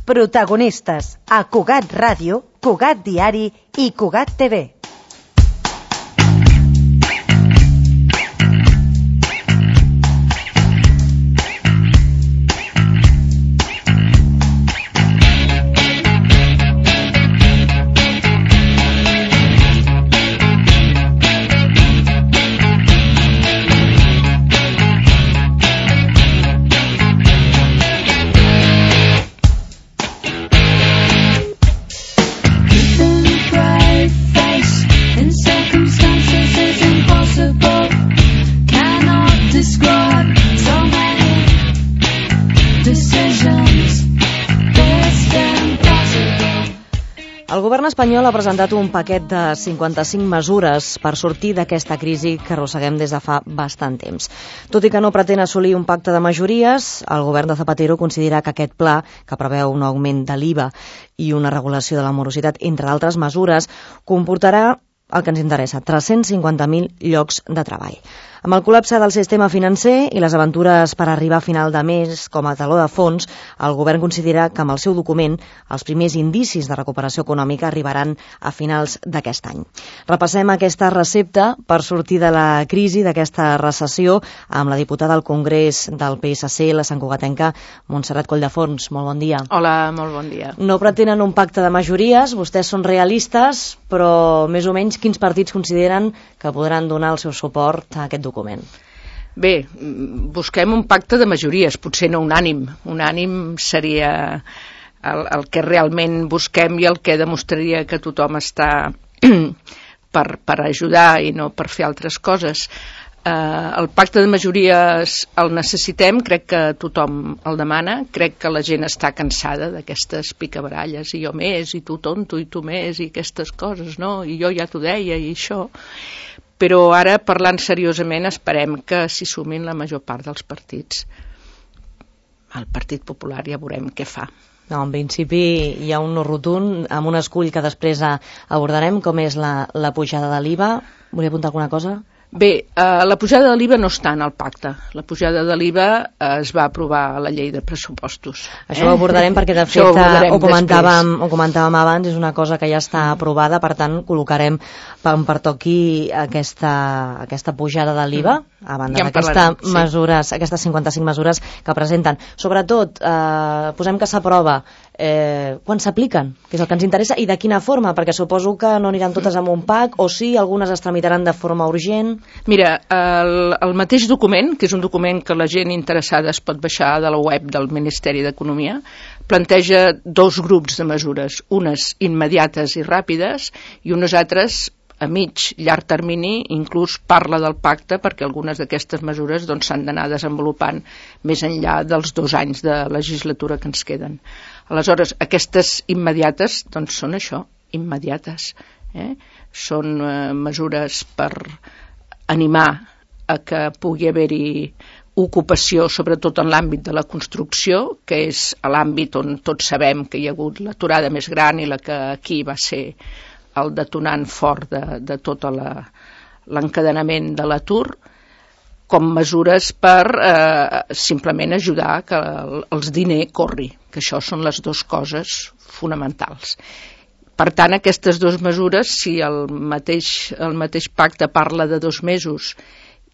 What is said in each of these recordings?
Protagonistes a Cugat Ràdio, Cugat Diari i Cugat TV. El govern espanyol ha presentat un paquet de 55 mesures per sortir d'aquesta crisi que arrosseguem des de fa bastant temps. Tot i que no pretén assolir un pacte de majories, el govern de Zapatero considera que aquest pla, que preveu un augment de l'IVA i una regulació de la morositat, entre d'altres mesures, comportarà el que ens interessa, 350.000 llocs de treball. Amb el col·lapse del sistema financer i les aventures per arribar a final de mes com a taló de fons, el govern considera que amb el seu document els primers indicis de recuperació econòmica arribaran a finals d'aquest any. Repassem aquesta recepta per sortir de la crisi, d'aquesta recessió, amb la diputada al Congrés del PSC, la santcugatenca Montserrat Colldeforns. Molt bon dia. Hola, molt bon dia. No pretenen un pacte de majories, vostès són realistes, però més o menys quins partits consideren que podran donar el seu suport a aquest document? Bé, busquem un pacte de majories, potser no unànim. Unànim seria el que realment busquem i el que demostraria que tothom està per ajudar i no per fer altres coses. El pacte de majories el necessitem, crec que tothom el demana, crec que la gent està cansada d'aquestes picabaralles, i jo més, i tu tonto, i tu més, i aquestes coses, no? I jo ja t'ho deia, i això. Però ara, parlant seriosament, esperem que s'hi sumin la major part dels partits. El Partit Popular ja veurem què fa. No, en principi hi ha un no rotund, amb un escull que després abordarem, com és la pujada de l'IVA. Volia apuntar alguna cosa? Bé, la pujada de l'IVA no està en el pacte. La pujada de l'IVA es va aprovar a la llei de pressupostos. Això ho abordarem perquè, de fet, ho comentàvem abans, és una cosa que ja està aprovada, per tant, col·locarem quan pertoqui aquesta pujada de l'IVA, a banda d'aquestes 55 mesures que presenten. Sobretot, posem que s'aprova, quan s'apliquen, que és el que ens interessa, i de quina forma, perquè suposo que no aniran totes amb un pack, o sí, algunes es tramitaran de forma urgent. Mira, el mateix document, que és un document que la gent interessada es pot baixar de la web del Ministeri d'Economia, planteja dos grups de mesures, unes immediates i ràpides i unes altres a llarg termini, inclús parla del pacte perquè algunes d'aquestes mesures s'han d'anar desenvolupant més enllà dels 2 anys de legislatura que ens queden. Aleshores, aquestes immediates són això, immediates. Són mesures per animar a que pugui haver-hi ocupació, sobretot en l'àmbit de la construcció, que és l'àmbit on tots sabem que hi ha hagut l'aturada més gran i la que aquí va ser el detonant fort de tot l'encadenament de l'atur, com mesures per simplement ajudar que els diners corri, que això són les dues coses fonamentals. Per tant, aquestes dues mesures, si el mateix pacte parla de 2 mesos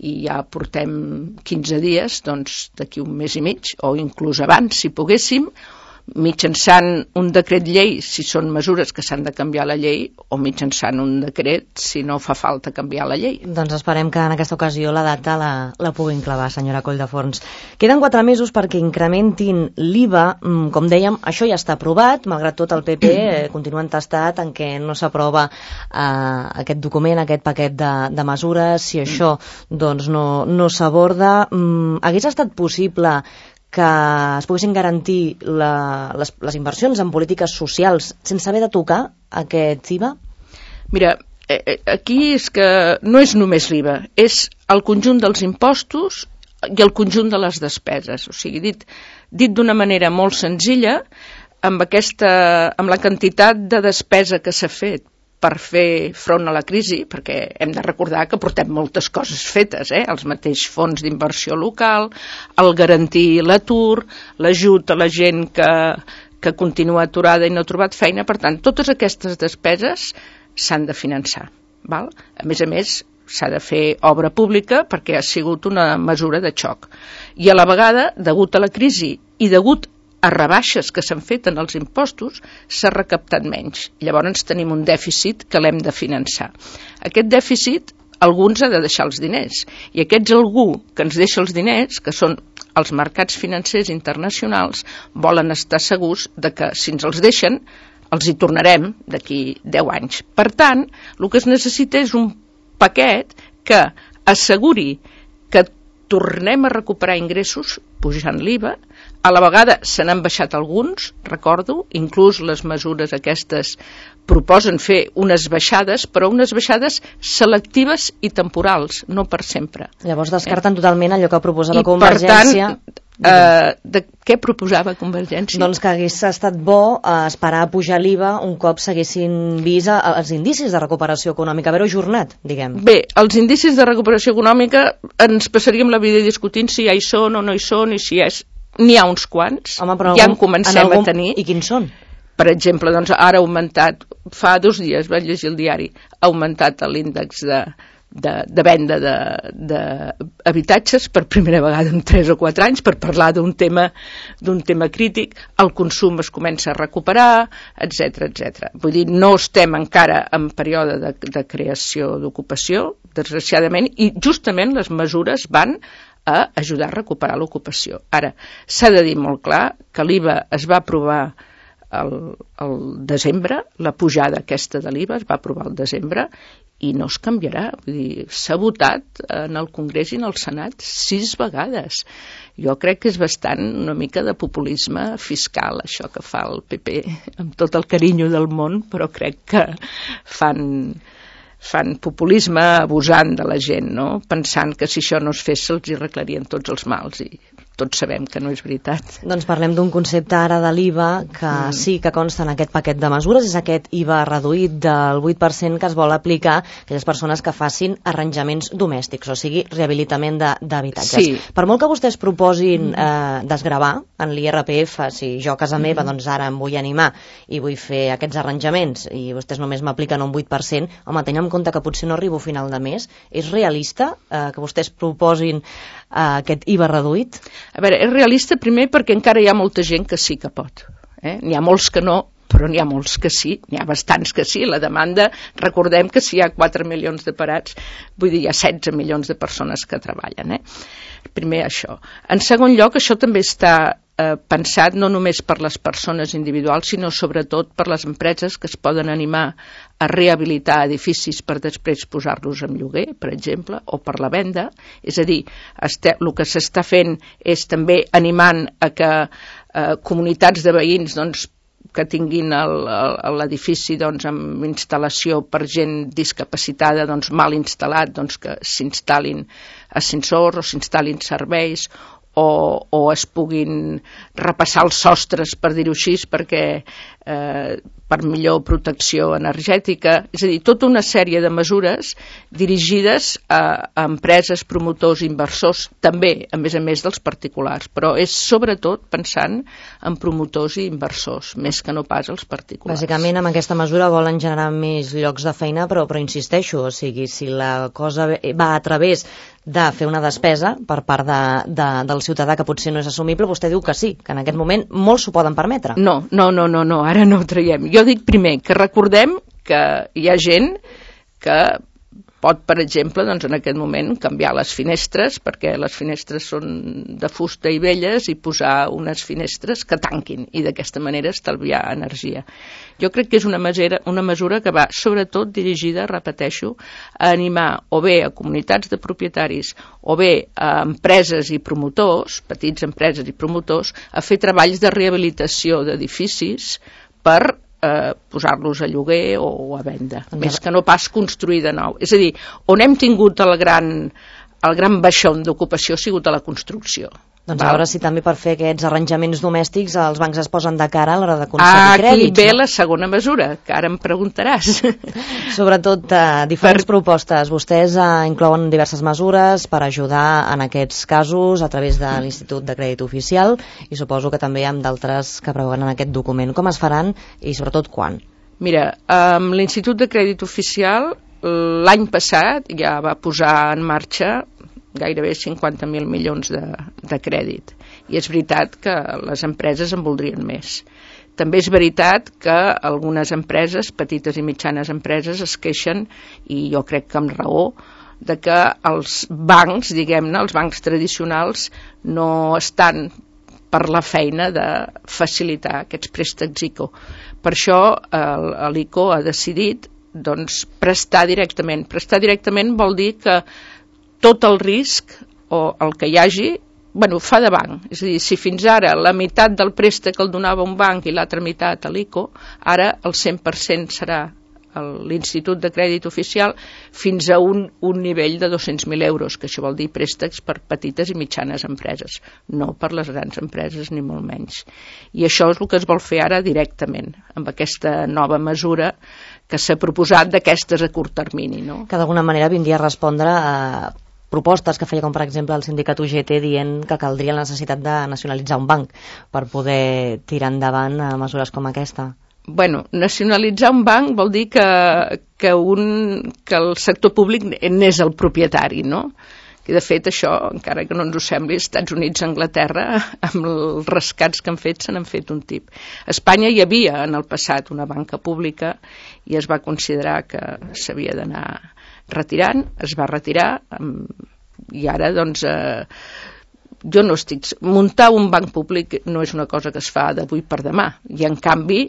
i ja portem 15 dies, doncs d'aquí un mes i mig, o inclús abans, si poguéssim, mitjançant un decret llei, si són mesures que s'han de canviar la llei, o mitjançant un decret, si no fa falta canviar la llei. Doncs esperem que en aquesta ocasió la data la puguin clavar, senyora Colldeforns. Queden 4 mesos perquè incrementin l'IVA. Com dèiem, això ja està aprovat, malgrat tot el PP continua entestat en què no s'aprova aquest document, aquest paquet de mesures. Si això no s'aborda, hagués estat possible que es poguessin garantir les inversions en polítiques socials sense haver de tocar aquest IVA? Mira, aquí és que no és només l'IVA, és el conjunt dels impostos i el conjunt de les despeses. O sigui, dit d'una manera molt senzilla, amb la quantitat de despesa que s'ha fet per fer front a la crisi, perquè hem de recordar que portem moltes coses fetes, els mateix fons d'inversió local, el garantir l'atur, l'ajut a la gent que que continua aturada i no ha trobat feina. Per tant, totes aquestes despeses s'han de finançar. Val? A més, s'ha de fer obra pública perquè ha sigut una mesura de xoc. I a la vegada, degut a la crisi i degut a rebaixes que s'han fet en els impostos, s'ha recaptat menys. Llavors tenim un dèficit que l'hem de finançar. Aquest dèficit, algú ens ha de deixar els diners. I aquests algú que ens deixa els diners, que són els mercats financers internacionals, volen estar segurs de que si ens els deixen, els hi tornarem d'aquí 10 anys. Per tant, el que es necessita és un paquet que asseguri que tornem a recuperar ingressos pujant l'IVA. A la vegada se n'han baixat alguns, recordo, inclús les mesures aquestes proposen fer unes baixades, però unes baixades selectives i temporals, no per sempre. Llavors descarten totalment allò que proposava Convergència. I per tant, de què proposava Convergència? Doncs que hagués estat bo esperar a pujar l'IVA un cop s'haguessin vist els indicis de recuperació econòmica, haver-ho ajornat, diguem. Bé, els indicis de recuperació econòmica ens passaríem la vida discutint si ja hi són o no hi són i si n'hi ha uns quants. Home, ja en comencem a tenir. I quins són? Per exemple, doncs ara ha augmentat, fa 2 dies vaig llegir el diari, ha augmentat l'índex de venda d'habitatges per primera vegada en 3 o 4 anys, per parlar d'un tema crític. El consum es comença a recuperar, etc. Vull dir, no estem encara en període de creació d'ocupació, desgraciadament, i justament les mesures van a ajudar a recuperar l'ocupació. Ara, s'ha de dir molt clar que l'IVA es va aprovar al desembre, la pujada aquesta de l'IVA es va aprovar al desembre i no es canviarà. Vull dir, s'ha votat en el Congrés i en el Senat 6 vegades. Jo crec que és bastant una mica de populisme fiscal, això que fa el PP, amb tot el carinyo del món, però crec que fan populisme abusant de la gent, no? Pensant que si això no es fes se'ls hi arreglarien tots els mals, i tots sabem que no és veritat. Doncs parlem d'un concepte ara de l'IVA que sí que consta en aquest paquet de mesures, és aquest IVA reduït del 8% que es vol aplicar a aquelles persones que facin arranjaments domèstics, o sigui, rehabilitament d'habitatges. Sí. Per molt que vostès proposin desgravar en l'IRPF, si jo a casa meva doncs ara em vull animar i vull fer aquests arranjaments i vostès només m'apliquen un 8%, home, tenint en compte que potser no arribo a final de mes, és realista que vostès proposin aquest IVA reduït? A veure, és realista primer perquè encara hi ha molta gent que sí que pot. N'hi ha molts que no, però n'hi ha molts que sí, n'hi ha bastants que sí. La demanda, recordem que si hi ha 4 milions de parats, vull dir, hi ha 16 milions de persones que treballen. Primer això. En segon lloc, això també està pensat no només per les persones individuals, sinó sobretot per les empreses que es poden animar a rehabilitar edificis per després posar-los en lloguer, per exemple, o per la venda. És a dir, el que s'està fent és també animant a que comunitats de veïns doncs, que tinguin l'edifici doncs, amb instal·lació per gent discapacitada doncs, mal instal·lat, doncs, que s'instal·lin ascensors o s'instal·lin serveis o es puguin repassar els sostres, per dir-ho així, perquè per millor protecció energètica. És a dir, tota una sèrie de mesures dirigides a empreses, promotors, inversors, també, a més dels particulars, però és sobretot pensant en promotors i inversors, més que no pas els particulars. Bàsicament, amb aquesta mesura volen generar més llocs de feina, però insisteixo, o sigui, si la cosa va a través de fer una despesa per part del ciutadà que potser no és assumible, vostè diu que sí, que en aquest moment molts s'ho poden permetre. No, ara no ho traiem. Jo dic primer que recordem que hi ha gent que pot, per exemple, doncs en aquest moment canviar les finestres, perquè les finestres són de fusta i velles, i posar unes finestres que tanquin i d'aquesta manera estalviar energia. Jo crec que és una mesura que va sobretot dirigida, repeteixo, a animar o bé a comunitats de propietaris o bé a empreses i promotors, petits empreses i promotors, a fer treballs de rehabilitació d'edificis per posar-los a lloguer o a venda, més que no pas construir de nou. És a dir, on hem tingut el gran baixón d'ocupació ha sigut a la construcció. Doncs a veure si també per fer aquests arranjaments domèstics els bancs es posen de cara a l'hora de concedir crèdits. Aquí ve la segona mesura, que ara em preguntaràs. Sobretot diferents propostes. Vostès inclouen diverses mesures per ajudar en aquests casos a través de l'Institut de Crèdit Oficial i suposo que també hi ha d'altres que preveuen en aquest document. Com es faran i sobretot quan? Mira, l'Institut de Crèdit Oficial l'any passat ja va posar en marxa gairebé 50.000 milions de crèdit. I és veritat que les empreses en voldrien més. També és veritat que algunes empreses, petites i mitjanes empreses, es queixen, i jo crec que amb raó, de que els bancs, diguem-ne, els bancs tradicionals, no estan per la feina de facilitar aquests préstecs ICO. Per això l'ICO ha decidit prestar directament. Prestar directament vol dir que tot el risc o el que hi hagi, fa de banc. És a dir, si fins ara la meitat del préstec el donava un banc i l'altra meitat a l'ICO, ara el 100% serà l'Institut de Crèdit Oficial fins a un nivell de 200.000 euros, que això vol dir préstecs per petites i mitjanes empreses, no per les grans empreses ni molt menys. I això és el que es vol fer ara directament, amb aquesta nova mesura que s'ha proposat d'aquestes a curt termini. No? Que d'alguna manera vindria a respondre a propostes que feia, com per exemple el sindicat UGT, dient que caldria la necessitat de nacionalitzar un banc per poder tirar endavant mesures com aquesta. Nacionalitzar un banc vol dir que el sector públic n'és el propietari, no? I de fet això, encara que no ens ho sembli, als Estats Units i Anglaterra, amb els rescats que han fet, se n'han fet un tip. A Espanya hi havia en el passat una banca pública i es va considerar que s'havia d'anar retirant, es va retirar i ara jo no estic... Muntar un banc públic no és una cosa que es fa d'avui per demà i en canvi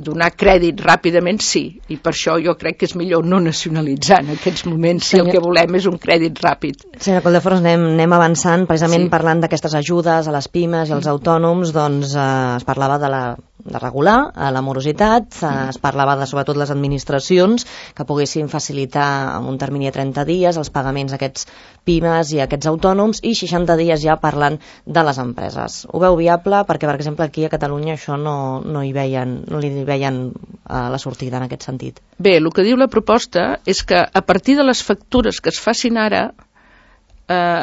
donar crèdit ràpidament sí, i per això jo crec que és millor no nacionalitzar en aquests moments si el que volem és un crèdit ràpid. Senyora Coldefors, anem avançant precisament parlant d'aquestes ajudes a les pimes i als autònoms, es parlava de regular la morositat, es parlava de sobretot les administracions que poguessin facilitar en un termini de 30 dies els pagaments a aquests pimes i a aquests autònoms i 60 dies ja parlant de les empreses. Ho veu viable? Perquè, per exemple, aquí a Catalunya això no li veien la sortida en aquest sentit. Bé, el que diu la proposta és que a partir de les factures que es facin ara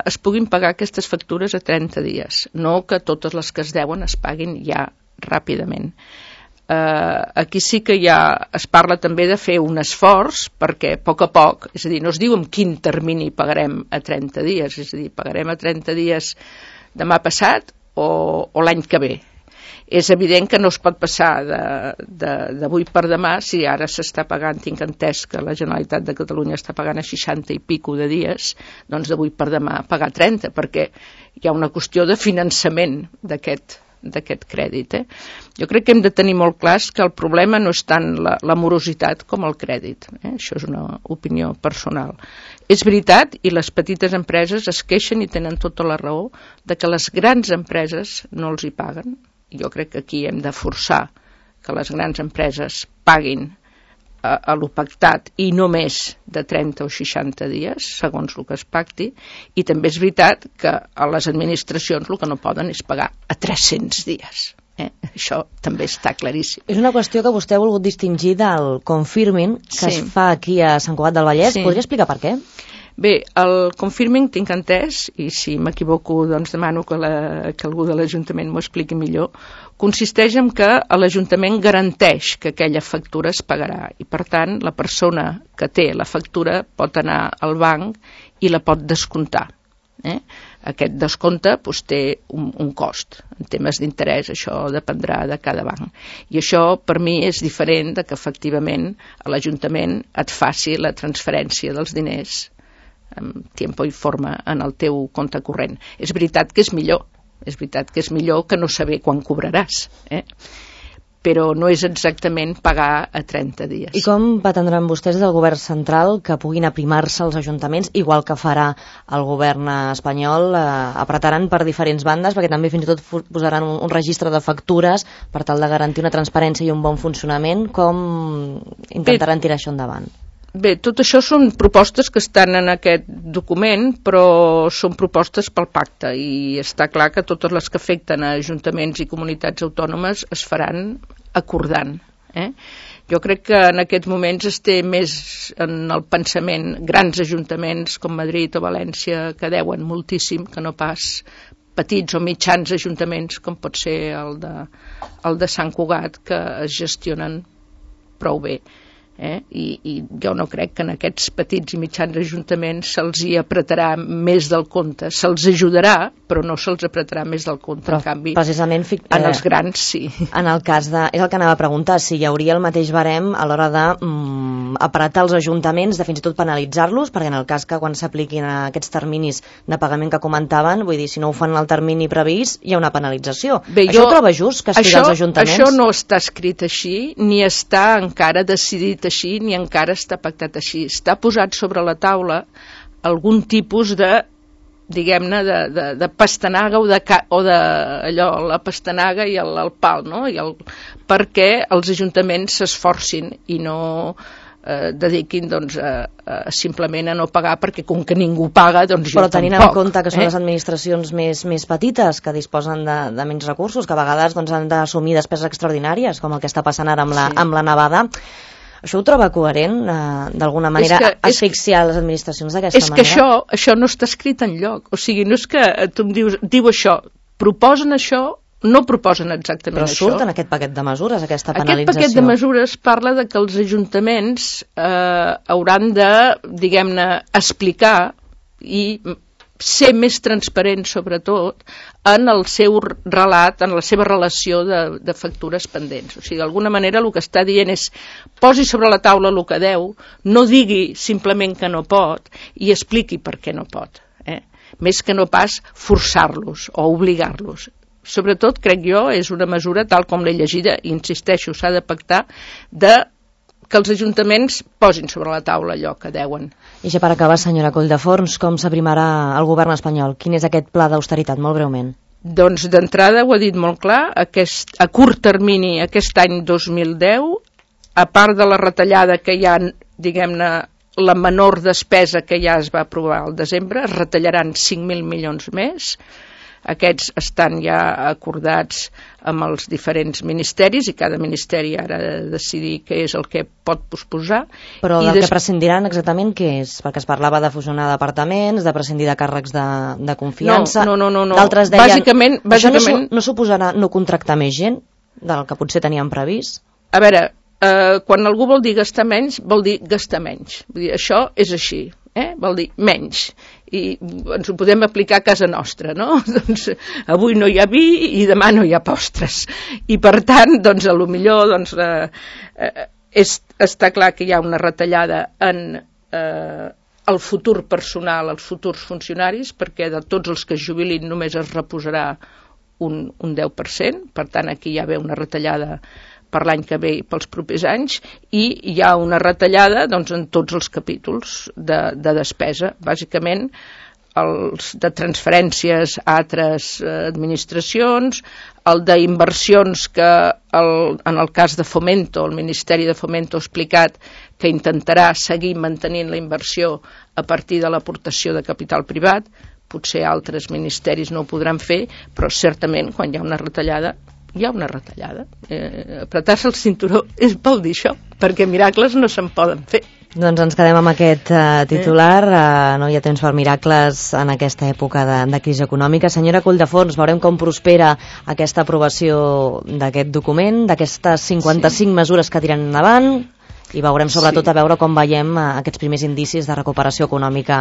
es puguin pagar aquestes factures a 30 dies, no que totes les que es deuen es paguin ja ràpidament. Aquí sí que ja es parla també de fer un esforç perquè a poc, és a dir, no es diu en quin termini pagarem a 30 dies, és a dir, pagarem a 30 dies demà passat o l'any que ve. És evident que no es pot passar d'avui per demà, si ara s'està pagant, tinc entès que la Generalitat de Catalunya està pagant a 60 i pico de dies, doncs d'avui per demà pagar 30, perquè hi ha una qüestió de finançament d'aquest crèdit. Jo crec que hem de tenir molt clar que el problema no és tant la morositat com el crèdit. Això és una opinió personal. És veritat, i les petites empreses es queixen i tenen tota la raó, de que les grans empreses no els hi paguen. Jo crec que aquí hem de forçar que les grans empreses paguin a lo pactat i no més de 30 o 60 dies, segons el que es pacti, i també és veritat que a les administracions el que no poden és pagar a 300 dies. Això també està claríssim. És una qüestió que vostè ha volgut distingir del confirming que es fa aquí a Sant Cugat del Vallès. Podria explicar per què? Bé, el confirming tinc entès, i si m'equivoco doncs demano que algú de l'Ajuntament m'ho expliqui millor, consisteix en que l'Ajuntament garanteix que aquella factura es pagarà i per tant la persona que té la factura pot anar al banc i la pot descomptar. Aquest descompte té un cost. En temes d'interès això dependrà de cada banc. I això per mi és diferent de que efectivament l'Ajuntament et faci la transferència dels diners en temps i forma en el teu compte corrent. És veritat que és millor que no saber quan cobraràs, però no és exactament pagar a 30 dies. I com pretendran vostès del govern central que puguin aprimar-se els ajuntaments, igual que farà el govern espanyol, apretaran per diferents bandes, perquè també fins i tot posaran un registre de factures per tal de garantir una transparència i un bon funcionament? Com intentaran tirar això endavant? Bé, tot això són propostes que estan en aquest document, però són propostes pel pacte i està clar que totes les que afecten a ajuntaments i comunitats autònomes es faran acordant. Jo crec que en aquests moments es té més en el pensament grans ajuntaments com Madrid o València que deuen moltíssim, que no pas petits o mitjans ajuntaments com pot ser el de Sant Cugat, que es gestionen prou bé. I jo no crec que en aquests petits i mitjans ajuntaments se'ls hi apretarà més del compte. Se'ls ajudarà, però no se'ls apretarà més del compte. Però, en canvi, precisament, en els grans sí. En el cas és el que anava a preguntar, si hi hauria el mateix barem a l'hora de apretar els ajuntaments, de fins i tot penalitzar-los, perquè en el cas que quan s'apliquin aquests terminis de pagament que comentaven, vull dir, si no ho fan en el termini previst, hi ha una penalització. Bé, això ho troba just, castigar els ajuntaments? Això no està escrit així, ni està encara decidit així, ni encara està pactat així. Està posat sobre la taula algun tipus de, diguem-ne, de pastanaga o de allò, la pastanaga i el pal, no? Perquè els ajuntaments s'esforcin i no dediquin simplement a no pagar, perquè com que ningú paga, doncs jo tampoc. Però tenint en compte que són les administracions més petites, que disposen de menys recursos, que a vegades han d'assumir despeses extraordinàries, com el que està passant ara amb la nevada, això ho troba coherent, d'alguna manera, asfixiar les administracions d'aquesta manera? És que això no està escrit enlloc. O sigui, no és que tu em diu això, proposen això, no proposen exactament això. Però surt en aquest paquet de mesures, aquesta penalització. Aquest paquet de mesures parla de que els ajuntaments hauran de, diguem-ne, explicar i ser més transparents, sobretot, en el seu relat, en la seva relació de factures pendents. O sigui, d'alguna manera el que està dient és posi sobre la taula el que deu, no digui simplement que no pot i expliqui per què no pot. Més que no pas forçar-los o obligar-los. Sobretot, crec jo, és una mesura, tal com l'he llegida, i insisteixo, s'ha de pactar, que els ajuntaments posin sobre la taula allò que deuen. I ja per acabar, senyora Colldeforns, com s'aprimarà el govern espanyol? Quin és aquest pla d'austeritat, molt breument? Doncs d'entrada ho ha dit molt clar, a curt termini, aquest any 2010, a part de la retallada que hi ha, diguem-ne, la menor despesa que ja es va aprovar al desembre, es retallaran 5.000 milions més. Aquests estan ja acordats amb els diferents ministeris i cada ministeri ara ha de decidir què és el que pot posposar. Però del que prescindiran exactament què és? Perquè es parlava de fusionar departaments, de prescindir de càrrecs de confiança. No. D'altres deien, bàsicament... Això no suposarà no contractar més gent del que potser tenien previst? A veure, quan algú vol dir gastar menys, vol dir gastar menys. Vull dir, això és així. Vol dir menys, i ens ho podem aplicar a casa nostra, no? Doncs avui no hi ha vi i demà no hi ha postres, i per tant, doncs a lo millor està clar que hi ha una retallada en el futur personal, els futurs funcionaris, perquè de tots els que es jubilin només es reposarà un 10%, per tant aquí hi ha una retallada per l'any que ve i pels propers anys, i hi ha una retallada en tots els capítols de despesa, bàsicament els de transferències a altres administracions, el d'inversions que en el cas de Fomento, el Ministeri de Fomento ha explicat que intentarà seguir mantenint la inversió a partir de l'aportació de capital privat, potser altres ministeris no ho podran fer, però certament quan hi ha una retallada hi ha una retallada. Apretar-se el cinturó vol dir això, perquè miracles no se'n poden fer. Doncs ens quedem amb aquest titular. No hi ha temps per miracles en aquesta època de crisi econòmica. Senyora Colldeforns, veurem com prospera aquesta aprovació d'aquest document, d'aquestes 55 mesures que tiren endavant, i veurem sobretot a veure com veiem aquests primers indicis de recuperació econòmica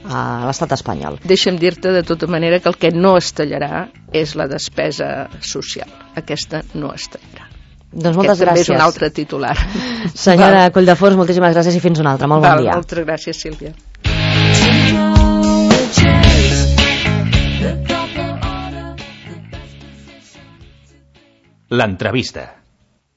a l'estat espanyol. Deixa'm dir-te de tota manera que el que no es tallarà és la despesa social. Aquesta no es tallarà. Doncs moltes gràcies. També és un altre titular. Senyora Colldeforns, moltíssimes gràcies i fins una altra. Molt bon dia. Moltes gràcies, Sílvia. L'entrevista.